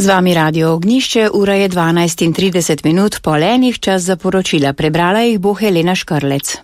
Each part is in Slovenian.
Z vami Radio Ognišče, ura je 12:30, po enih čas za poročila. Prebrala jih bo Helena Škrlec.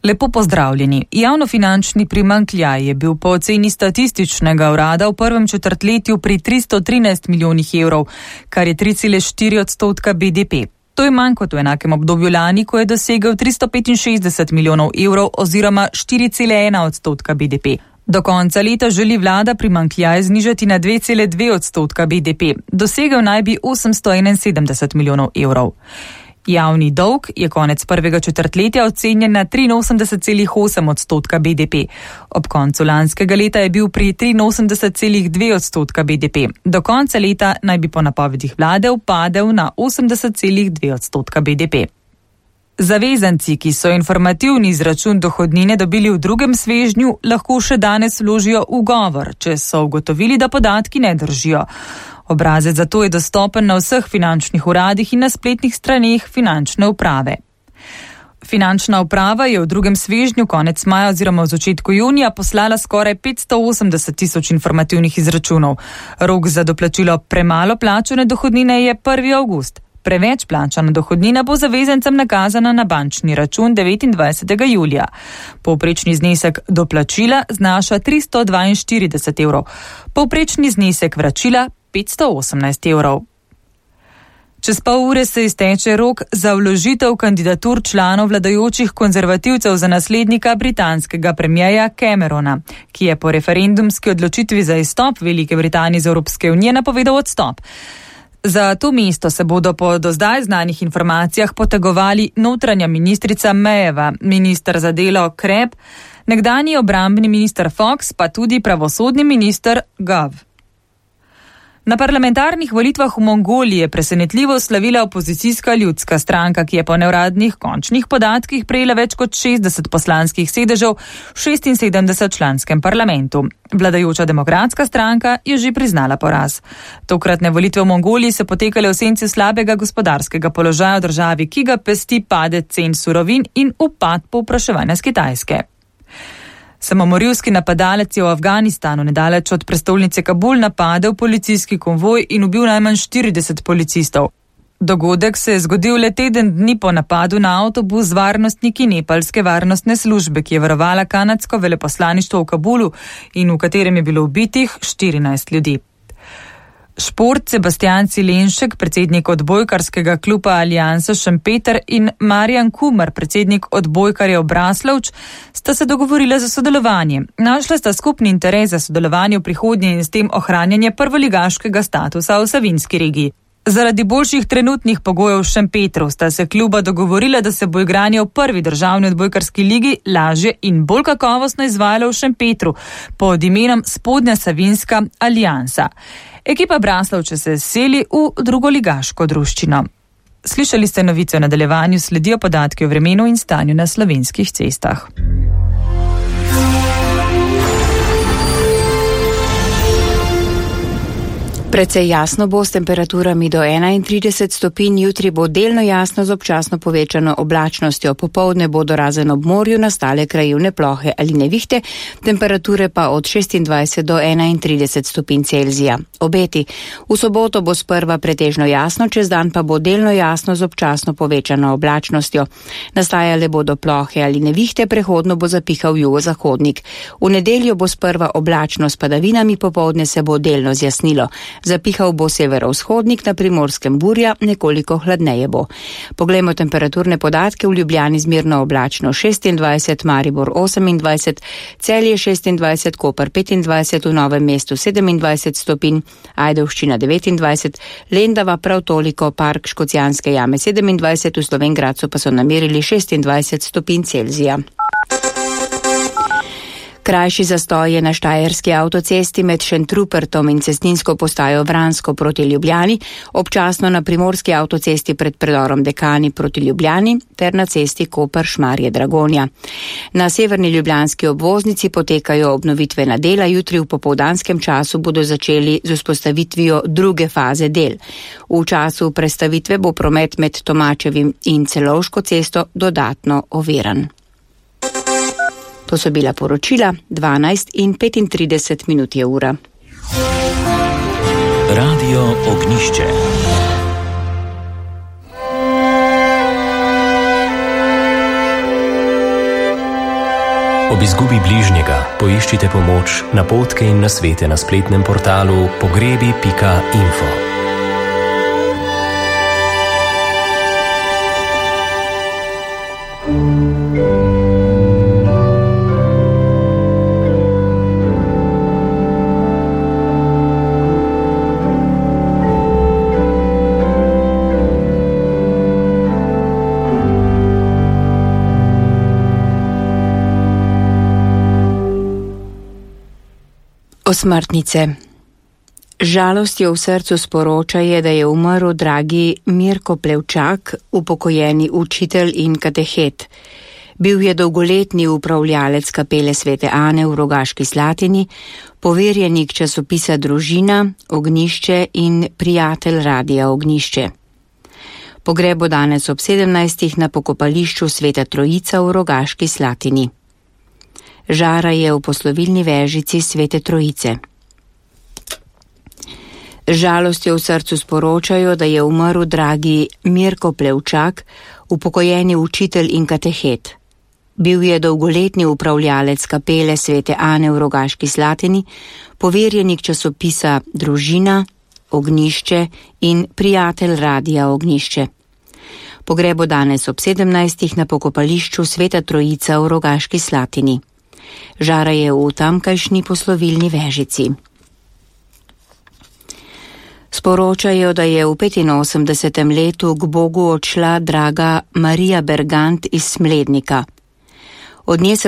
Lepo pozdravljeni. Javnofinančni primanjkljaj je bil po oceni statističnega urada v prvem četrtletju pri 313 milijonih evrov, kar je 3,4% BDP. To je manj kot v enakem obdobju lani, ko je dosegel 365 milijonov evrov oziroma 4,1% BDP. Do konca leta želi vlada primanjkljaj znižati na 2,2% BDP. Dosegel naj bi 871 milijonov evrov. Javni dolg je konec prvega četrtletja ocenjen na 83,8% BDP. Ob koncu lanskega leta je bil pri 83,2% BDP. Do konca leta naj bi po napovedih vlade upadel na 80,2% BDP. Zavezanci, ki so informativni izračun dohodnine dobili v drugem svežnju, lahko še danes vložijo ugovor, če so ugotovili, da podatki ne držijo. Obrazec zato je dostopen na vseh finančnih uradih in na spletnih straneh finančne uprave. Finančna uprava je v drugem svežnju konec maja oziroma v začetku junija poslala skoraj 580 tisoč informativnih izračunov. Rok za doplačilo premalo plačane dohodnine je 1. avgust. Preveč plačana dohodnina bo zavezancem nakazana na bančni račun 29. julija. Povprečni znesek doplačila znaša 342 evrov. Povprečni znesek vračila 518 evrov. Čez pol ure se izteče rok za vložitev kandidatur članov vladajočih konzervativcev za naslednika britanskega premierja Camerona, ki je po referendumski odločitvi za izstop Velike Britanije iz Evropske unije napovedal odstop. Za to mesto se bodo po do zdaj znanih informacijah potegovali notranja ministrica Mayeva, minister za delo Kreb, nekdanji obrambni minister Fox, pa tudi pravosodni minister Gov. Na parlamentarnih volitvah v Mongoliji je presenetljivo slavila opozicijska ljudska stranka, ki je po neuradnih končnih podatkih prejela več kot 60 poslanskih sedežev v 76 članskem parlamentu. Vladajoča demokratska stranka je že priznala poraz. Tokratne volitve v Mongoliji so potekale v senci slabega gospodarskega položaja v državi, ki ga pesti padec cen surovin in upad povpraševanja s Kitajske. Samomorilski napadalec je v Afganistanu nedaleč od prestolnice Kabul napadel policijski konvoj in ubil najmanj 40 policistov. Dogodek se je zgodil le teden dni po napadu na avtobus z varnostniki nepalske varnostne službe, ki je varovala kanadsko veleposlaništvo v Kabulu in v katerem je bilo ubitih 14 ljudi. Šport. Sebastian Cilenšek, predsednik odbojkarskega kluba Aliansa Šempeter in Marjan Kumar, predsednik odbojkarjev Braslovč, sta se dogovorila za sodelovanje. Našla sta skupni interes za sodelovanje v prihodnje in s tem ohranjanje prvoligaškega statusa v Savinjski regiji. Zaradi boljših trenutnih pogojev v Šempetru sta se kluba dogovorila, da se bo igranje v prvi državni odbojkarski ligi lažje in bolj kakovostno izvajalo v Šempetru pod imenom Spodnja Savinjska aliansa. Ekipa Braslovče se seli v drugoligaško druščino. Slišali ste novice o nadaljevanju, sledijo podatki o vremenu in stanju na slovenskih cestah. Precej jasno bo s temperaturami do 31 stopinj, jutri bo delno jasno z občasno povečano oblačnostjo, popoldne bodo razen ob morju nastale krajevne plohe ali nevihte, temperature pa od 26 do 31 stopinj Celzija. Obeti. V soboto bo sprva pretežno jasno, čez dan pa bo delno jasno z občasno povečano oblačnostjo. Nastajale bodo plohe ali nevihte, prehodno bo zapihal jugozahodnik. V nedeljo bo sprva oblačno s padavinami, popoldne se bo delno zjasnilo. Zapihal bo severovzhodnik, na Primorskem burja, nekoliko hladneje bo. Poglejmo temperaturne podatke. V Ljubljani zmerno oblačno 26, Maribor 28, Celje 26, Koper 25, v Novem mestu 27 stopinj, Ajdovščina 29, Lendava prav toliko, Park Škocjanske jame 27, v Slovenj Gradcu pa so namerili 26 stopinj Celzija. Krajši zastoj je na štajerski avtocesti med Šentrupertom in cestninsko postajo Vransko proti Ljubljani, občasno na primorski avtocesti pred predorom Dekani proti Ljubljani ter na cesti Koper-Šmarje-Dragonja. Na severni ljubljanski obvoznici potekajo obnovitvena dela, jutri v popoldanskem času bodo začeli z vzpostavitvijo druge faze del. V času prestavitve bo promet med Tomačevim in Celovško cesto dodatno oviran. To so bila poročila, 12:35 je ura. Radio Ognišče. Ob izgubi bližnjega poiščite pomoč, napotke in nasvete na spletnem portalu pogrebi.info. Osmrtnice. Žalostjo v srcu sporočaje, da je umrl dragi Mirko Plevčak, upokojeni učitelj in katehet. Bil je dolgoletni upravljalec kapele Svete Ane v Rogaški Slatini, poverjenik časopisa Družina, Ognjišče in prijatelj radia Ognjišče. Pogreb bo danes ob 17. na pokopališču Sveta Trojica v Rogaški Slatini. Žara je v poslovilni vežici Svete Trojice. Žalostjo v srcu sporočajo, da je umrl dragi Mirko Plevčak, upokojeni učitelj in katehet. Bil je dolgoletni upravljalec kapele Svete Ane v Rogaški Slatini, poverjenik časopisa Družina, Ognjišče in prijatelj radia Ognjišče. Pogreb bo danes ob 17. na pokopališču Sveta Trojica v Rogaški Slatini. Žara je v tamkajšnji poslovilni vežici. Sporočajo, da je v 85. letu k Bogu odšla draga Marija Bergant iz Smlednika. Od nje se bo